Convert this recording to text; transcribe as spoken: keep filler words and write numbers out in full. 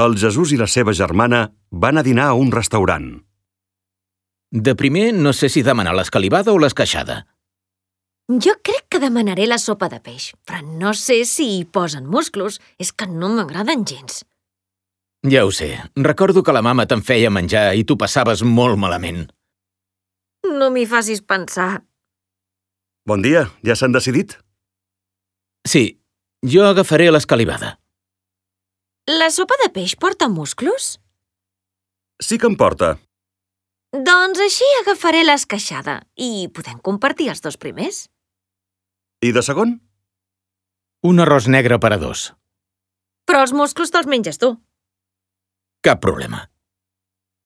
El Jesús i la seva germana van a dinar a un restaurant. De primer, no sé si demanar l'escalivada o l'esqueixada. Jo crec que demanaré la sopa de peix, però no sé si hi posen musclos. És que no m'agraden gens. Ja ho sé. Recordo que la mama te'n feia menjar i tu passaves molt malament. No m'hi facis pensar. Bon dia, ja s'han decidit? Sí, jo agafaré l'escalivada. La sopa de peix porta musclos? Sí que en porta. Doncs així agafaré l'esqueixada i podem compartir els dos primers. I de segon? Un arròs negre per a dos. Però els musclos te'ls menges tu. Cap problema.